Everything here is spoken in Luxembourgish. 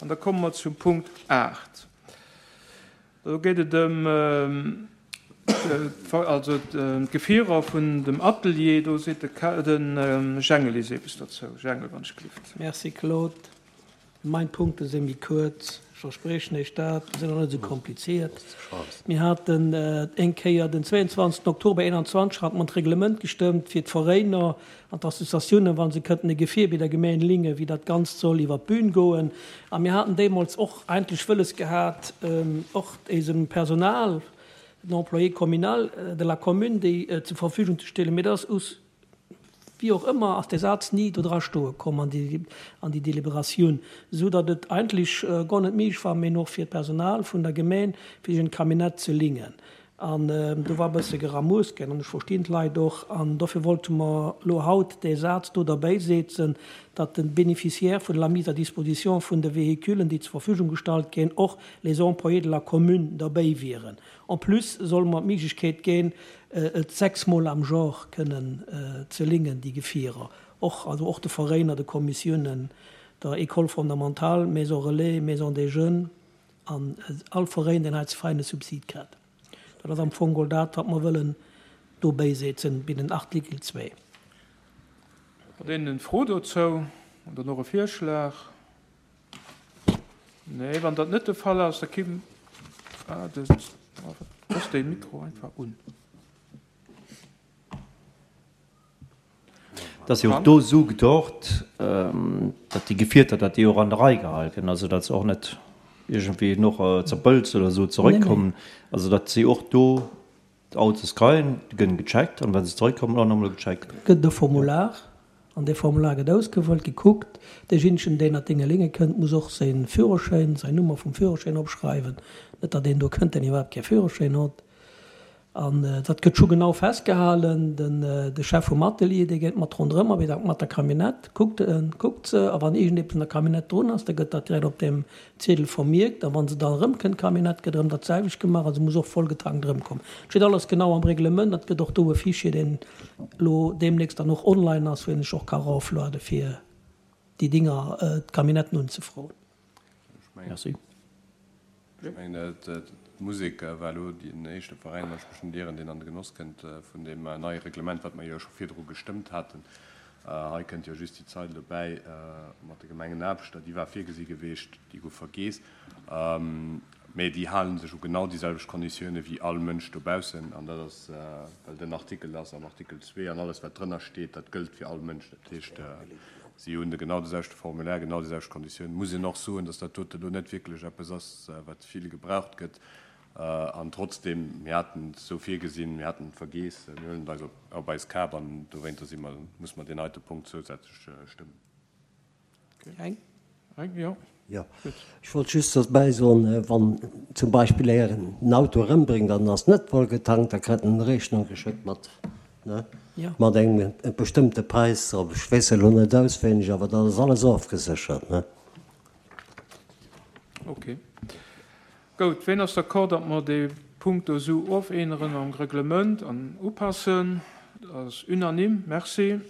An da komme mer zum Punkt 8. Do geet et ëm also d'Gefierer vun dem Atelier. Do seet de Jengel eis eppes dozou. Jengel, wann ech gelift. Merci, Claude. Mein Punkte si méi kuerz, ech verspriechen Iech dat, sinn och net esou kompliziert. Mir haten eng Kéier den 22 Oktober 21 hate mer d'Reglement gestëmmt fir d'Veräiner an d'Associatiounen, wa se kënnten e Gefier bei der Gemeng lingen, wéi dat Ganzt soll iwwer d'Bün goen. A mir haten deemools och eigentlech wëlles gehat, och éisem Personal, den Employés communal de la commune, déi zur Verfügung ze stellen. Mee dat ass us Wéi och ëmmer ass dee Saz ni do dra stoe komm an déi an déi Deliberatioun, esou datt et eigentlech guer net méiglech war méi och fir d'Personal vun der Gemeng fir sech en Camionnette ze lingen. An do war e bësse Geramues ginn an ech verstinn d'Leit och. An dofir wollte mer elo haut dee Saz do derbäisetzen, datt de Bénéficiaire vun la mise à disposition vun de Véhiculen, déi zur Verfügung gestallt ginn, och les employés de la commune derbäi wieren. En plus solle mer d'Méiglechkeet ginn, et sechsmol am Jor kënnen ze lingen, déi Gefierer, och, also och de Veräiner, de Kommissiounen, der École fondamentale, Maison relais, Maison des jeunes an all Veräin, deen hei ze feine Subsid kritt. Dat ass am Fong geholl dat, wat mer wëllen do bäisetzen bei den Artikel 2. Huet een en Fro dozou oder och e Virschlag? Nee, wann dat net de Fall ass, da kim ah, de, looss de Mikro einfach un. Et ass jo och do esou gedort, datt déi Gefierter, datt déi och an der Rei gehal ginn, also datt se och net iergendwéi noch zerpëlzt oder esou zeréckkommen, also datt si och do D'Autos kreien, gënn gecheckt an wa se zeréckkommen och nach emol gecheckt. Gëtt et e Formular an dee Formular gëtt ausgefëllt, gekuckt. Deejéinegen, deen an d'Dénge lénge kënnt, muss och säi Führerschäin, säin Nummer vum Führerschäin opschreiwen. Net datt een do kënnt, deen iwwerhaapt kee Führerschäin hott. An dat gëtt scho genau festgehalen. Den de Chef vum Atelier, dee geet mat ronderëm a mat der Camionnette, kuckt en, kuckt se a wann iergendeppes an der Camionnette drun ass, da gëtt dat direkt op deem Ziedel vermierkt a wann se dann erëmkënnt, d'Camionnette, gëtt erëm dat selwecht gemaach a se muss och voll getankt erëmkommen. Et steet alles genau am Reglement an et gëtt och do e Fichier, deen elo deemnächst dann och online ass, wou een sech och ka erofluede fir déi Dinger, d'Camionnetten unzefroen. Merci. Ech mengen, d'Musek war elo deen éischte Veräin, wann ech mech net ieren, deen an de Genoss kënnt vun deem neie Reglement, wat mer jo scho virdru gestëmmt haten. Hei kënnt jo just déi Zeil dobäi mat de Gemengenaarbechter, déi war virgesi geweecht, déi gouf vergeess. Mä déi hale sech u genau déi selwecht Konditioune wéi all Mënsch dobaussen. An dat ass, well den Artikel ass am Artikel 2 an alles, wat drënner steet, dat gëllt fir all Mënsch. Dat heescht, si hunn de genau de selwechte Formulaire, genau déi selwecht Konditiounen. Muss een och soen, dass dat dote elo net wierklech eppes ass, wat vill gebraucht gëtt. An trotzdem, mir haten et esou virgesinn, mir haten et vergeess, mir huelen et eis op eis Kap an dowéinter si mer, muss mer deen heite Punkt zousätzlech stëmmen. Eng? Eng, jo. Jo, ech wollt just derbäi soen, wann zum Beispill Är en Auto erëmbréngt an en ass net voll getankt, da kritt en eng Rechnung geschéckt mat, ne, mat engem bestëmmte Präis drop. Ech weess elo net auswéineg, awer dat ass alles ofgeséchert, ne. Okay. Gout, ween ass d'accord, datt mer dee Punkt do esou ofänneren am Reglement an upassen? Dat ass unanime. Merci.